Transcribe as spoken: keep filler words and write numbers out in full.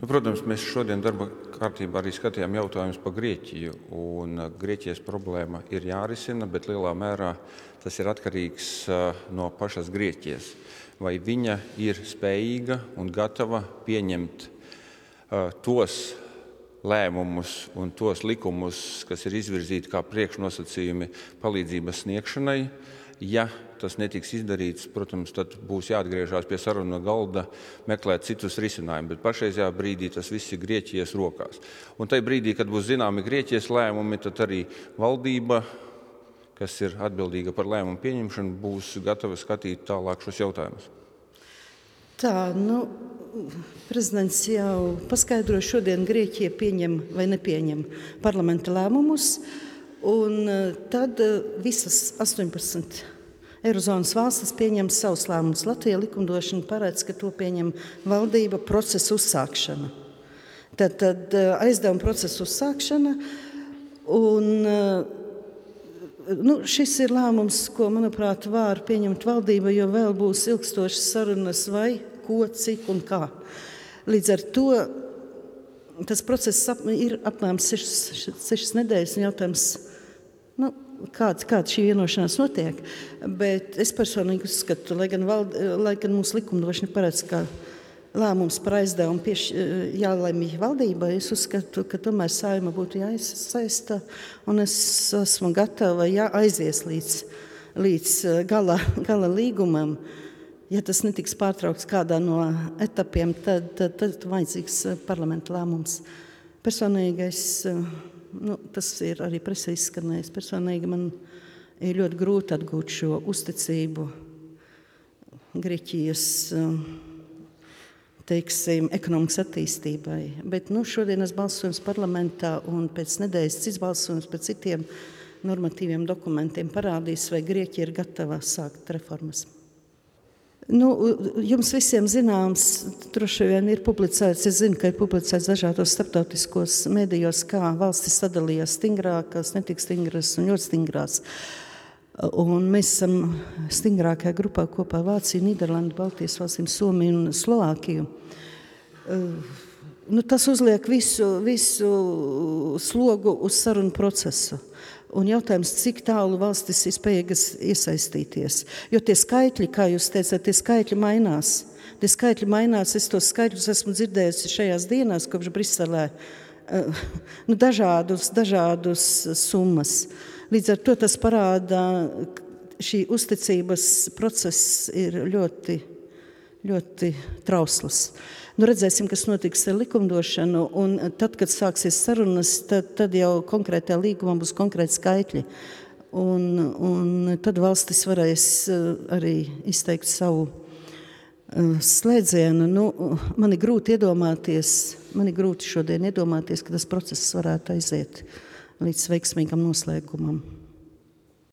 Nu, protams, mēs šodien darba kārtībā arī skatījām jautājumus par Grieķiju, un Grieķijas problēma ir jārisina, bet lielā mērā tas ir atkarīgs no pašas Grieķijas. Vai viņa ir spējīga un gatava pieņemt uh, tos lēmumus un tos likumus, kas ir izvirzīti kā priekšnosacījumi palīdzības sniegšanai. Ja tas netiks izdarīts, protams, tad būs jāatgriežās pie sarunu galda, meklēt citus risinājumus, bet pašreizajā brīdī tas viss ir Grieķijas rokās. Un tajā brīdī, kad būs zināmi Grieķijas lēmumi, tad arī valdība, kas ir atbildīga par lēmumu pieņemšanu, būs gatava skatīt tālāk šos jautājumus. Tā, nu, prezidents jau paskaidro, šodien Grieķija pieņem vai nepieņem parlamenta lēmumus, un tad visas astoņpadsmit Eirozonas valstis pieņem savus lēmumus. Latvija likumdošana paredz, ka to pieņem valdība procesa uzsākšana. Tad, tad aizdevuma procesa uzsākšana, un nu, šis ir lēmums, ko, manuprāt, var pieņemt valdība, jo vēl būs ilgstošas sarunas vai ko, cik un kā. Līdz ar to tas process ir apmēram sešas, sešas nedēļas un jautājums, nu, kāda, kāda šī vienošanās notiek. Bet es personīgi uzskatu, lai gan, vald, lai gan mūsu likumdošana paredz, ka lēmums par aizdevumu pieš, jālemj valdībai, es uzskatu, ka tomēr Saeima būtu jāiesaista, un es esmu gatava jā, aizies līdz, līdz gala, gala līgumam. Ja tas netiks pārtraukts kādā no etapiem, tad, tad, tad vajadzīgs parlamenta lēmums. Personīgais, nu, tas ir arī presē izskanējis, personīgi man ir ļoti grūti atgūt šo uzticību Grieķijas, teiksim, ekonomikas attīstībai. Bet nu, šodienas balsojums parlamentā un pēc nedēļas cits balsojums pēc citiem normatīviem dokumentiem parādīs, vai Grieķija ir gatava sākt reformas. Nu, jums visiem zināms, droši vien ir publicēts, es zinu, ka ir publicēts dažādos starptautiskos medijos, kā valstis sadalījās stingrākās, netik stingras un ļoti stingrās. Un mēs esam stingrākajā grupā kopā Vāciju, Nīderlandu, Baltijas valstīm, Somiju un Slovākiju. Nu, tas uzliek visu, visu slogu uz sarunu procesu. Un jautājums, cik tālu valstis ir spējīgas iesaistīties. Jo tie skaitļi, kā jūs teicāt, tie skaitļi mainās. Tie skaitļi mainās, es tos skaitļus esmu dzirdējusi šajās dienās, kopš Briselē, nu, dažādus, dažādus summas. Līdz ar to tas parāda, šī uzticības process ir ļoti, ļoti trausls. Nu, redzēsim, kas notiks ar likumdošanu, un tad, kad sāksies sarunas, tad, tad jau konkrētajā līgumā būs konkrēti skaitļi. Un, un tad valstis varēs arī izteikt savu slēdzienu. Nu, man ir grūti iedomāties, man ir grūti šodien iedomāties, ka tas process varētu aiziet līdz veiksmīgam noslēgumam.